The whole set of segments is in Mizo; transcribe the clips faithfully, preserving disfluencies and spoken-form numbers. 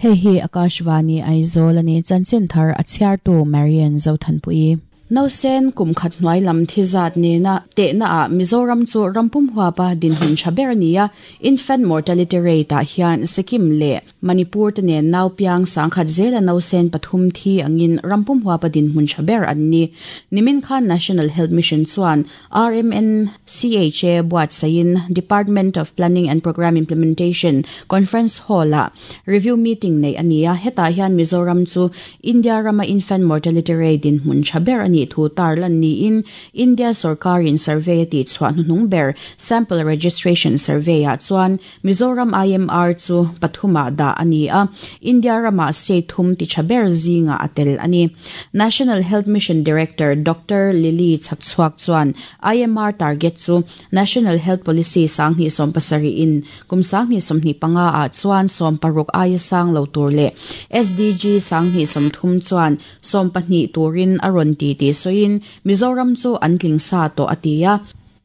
Hei hi Akashvani Aizawl ani chanchin thar a chhiartu Marian Zothanpui. Nausen kum khat hnuai lam thi zat nena tehna ah Mizoram chu rampum huapa dinhmun tha ber ania infant mortality rate ah hian Sikkim leh Manipur te nen nau piang sangkhat zela nausen pathum thi angin rampum huapa dinhmun tha ber an ni. Nimin khan National Health Mission chuan R M N C H A buat sain Department of Planning and Program Implementation Conference Hall ah review meeting nei ania hetah hian Mizoram chu India rama infant mortality rate dinhmun tha ber ani thu tarlan ni in India sarkarin survey ti chhuah hnuhnung ber sample registration survey ah chuan Mizoram I M R chu pathuma da ani a India rama state thum ti thaber zinga atel ani. National Health Mission Director Doctor Lily Chakchhuak chuan I M R target chu National Health Policy sangni som pasari in kum sangni somni panga a chuan som paruk ai sang lo tur le S D G sangni som thum chuan som pahnih turin aron ti ti soin Mizoram chu antling sa to atia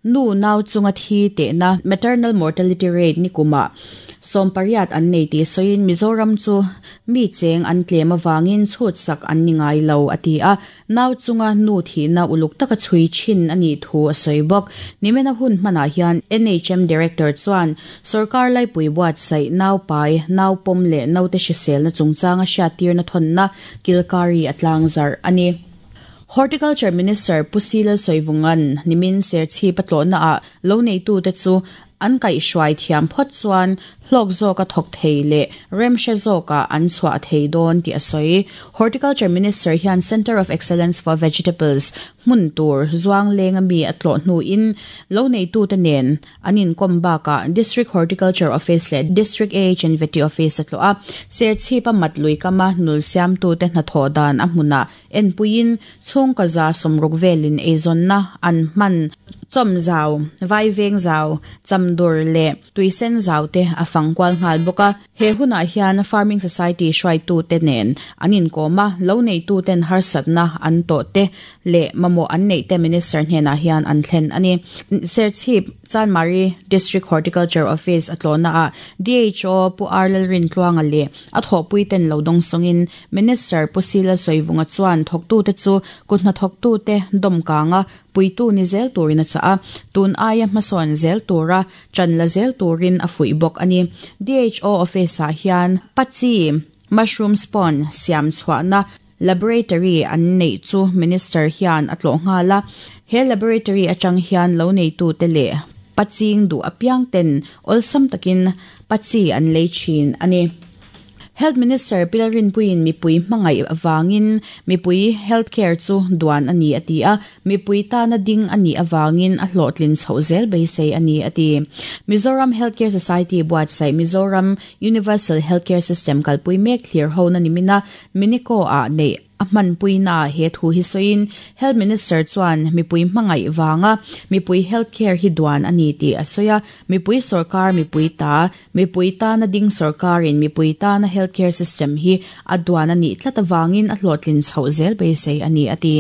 nu nau chunga thi te na maternal mortality rate ni kuma som pariat an nei ti soin Mizoram chu mi cheng an tlem awangin chhut sak an ni ngai lo atia nau chunga nu thi na uluk taka chui chin ani thu a soibok nimena hun hmana hian N H M director chuan sarkar lai pui buat sai nau pai nau pom le nau te hrisel na chungchanga hriattir na thon na kilkari atlang zar ani. Horticulture Minister Pusila Soivungan nimin serchi patlo na a lo nei tu te chu an kai hruai thiam phot chuan hlok zawka thawk thei leh remhre zawka an chhuah thei dawn tih a sawi. Horticulture Minister hian Center of Excellence for Vegetables hmun tur zuang leng ami a tlawh hnuin lo nei tu te nen an inkawm bakah District Horticulture Office leh District A H and V T Office a tlawh a serchhipa mat lui kama nul siam tu te hnathawh dan a hmuna enpuiin chhungkaw za sawmruk velin eizawnna an hman chawm zau vai veng zau chamdur leh tuisen zau te a fangkual nghal bawk a. He hunah hian Farming Society hruaitu te nen an inkawm a lo nei tu ten harsatna an tawh te leh mamawh an neih te minister hnenah hian an thlen ani. Serchhip Chanmari District Horticulture Office a tlawhna ah D H O Pu Arlal Rintluanga leh a thawhpui ten lo dawng sawngin Minister Pusila Soivunga chuan thawktu te chu kut hnathawktu te dawmkanga puitu ni zel turin a cha a tun aia hmasawn zel tura chanla zel turin a fuih bawk ani. D H O office ah hian pachi mushroom spawn siam chhuahna laboratory an nei chu minister hian a tlawh nghal a. He laboratory atang hian lo nei tu te leh paching du apiang ten awlsam takin pachi an lei thin ani. Health Minister Pilarin Puin mipui hmangaih awangin mipui healthcare chu duan ani ati a mipui tana ding ani awangin a hlawhtlin chho zel beisei ani ati. Mizoram Healthcare Society buatsaih Mizoram Universal Healthcare System kalpui mek thlir ho na nimina Miniko a nei a hmanpui na he thu hi soin Health Minister chuan mipui hmangaih wanga mipui healthcare hi duan ani ti a soya mipui sarkar mipui ta mipui ta na ding sarkarin mipui ta na healthcare system hi a duan ani tlat awangin a hlawhtlin chho zel beisei ani ati.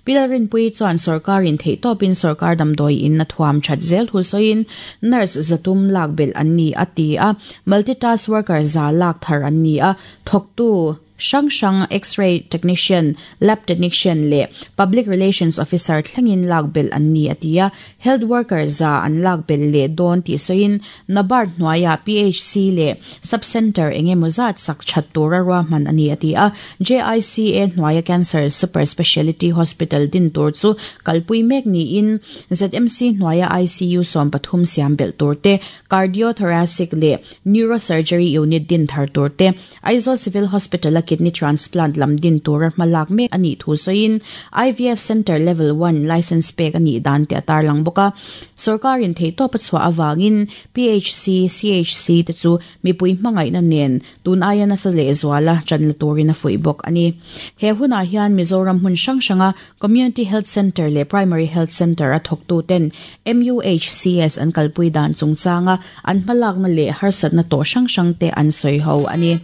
Pilarin pui chuan sarkarin theihtawpin sarkar damdawi in a thuam that zel thu soin nurse zatum lak bel an ni ati a multitask worker za lak thar an ni a thawktu Shang Shang X-ray technician, lab technician le public relations officer thlengin lakbel an ni atia health worker za an lakbel le don ti soin NABARD hnuaia P H C le sub-center engemawzat sak that tura ruahman ani atia J I C A hnuaia Cancer Super Speciality Hospital din tur chu kalpui mek ni in Z M C hnuaia I C U som pathum siam bel tur te cardiothoracic le neurosurgery unit din thar tur te Aizawl Civil Hospital kidney transplant lam din tur hmalak mek ani thu soin I V F Center level one license pek ani dan te atar lang boka sarkarin theitawp a chhuah awangin P H C C H C te chu mipui hmangaih na nen tun aia nasa leh zuala chanla turin a fuih bawk ani. He hunah hian Mizoram hmun hrang hranga Community Health Center leh Primary Health Center a thawktu ten M U H C S an kalpui dan chungchanga an hmalakna leh harsatna tawh hrang hrang te an sawi ho ani.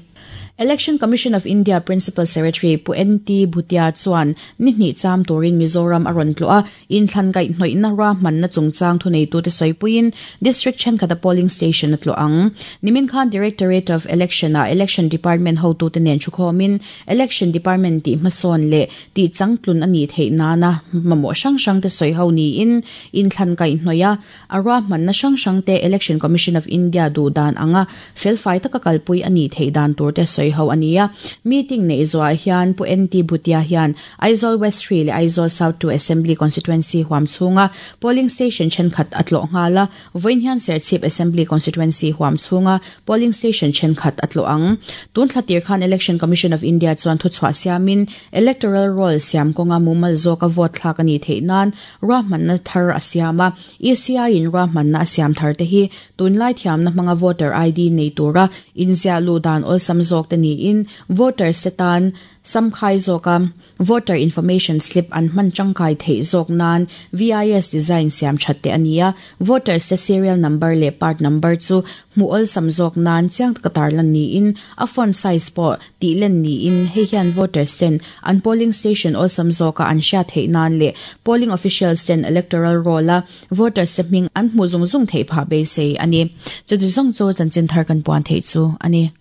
Election Commission of India Principal Secretary Pu N T Bhutia chuan ni hnih cham turin Mizoram a rawn tlawh a, inthlan kaihhnawihna ruahmanna chungchang thuneitute sawipuiin District thenkhat a polling station a tlawh ang. Nimin khan Directorate of Election ah Election Department hotute nen thukhawmin Election Department tih hmasawn leh tih changtlun a nih theih nana mamawh hrang hrangte sawi ho niin inthlan kaihhnawih a, a ruahmanna hrang hrangte Election Commission of India duh dan anga felfai taka kalpui a nih theih dan turte sawi ho ania. Meeting nei zuah hian Pu N T Bhutia hian Aizawl West three leh Aizawl South two Assembly Constituency huam chhunga polling station thenkhat a tlawh nghala, vawiin hian Serchhip Assembly Constituency huam chhunga polling station thenkhat a tlawh ang. Tun thlatir khan Election Commission of India chuan thuchhuah siamin electoral roll siam kawnga mumal zawka vote thlak ani theih nan ruahmanna thar a siam a. E C I in ruahmanna a siam thar te hi tunlai thiamna hmanga voter I D nei tura inziah lu dan awlsam zawk te niin voter setan samkhai zawka voter information slip an hman tangkai theih zawk nan V I S design siam that te ania. Voter se serial number leh part number chu hmu awlsam zawk nan chiang taka tarlan niin a font size pawh tih len niin hei hian voters ten an polling station awlsam zawka an hriat theih nan leh polling officials ten electoral roll a voters se hming an hmu zung zung theih phah beisei ani. Chuti zawng chu chanchin thar kan puan theih chu ani.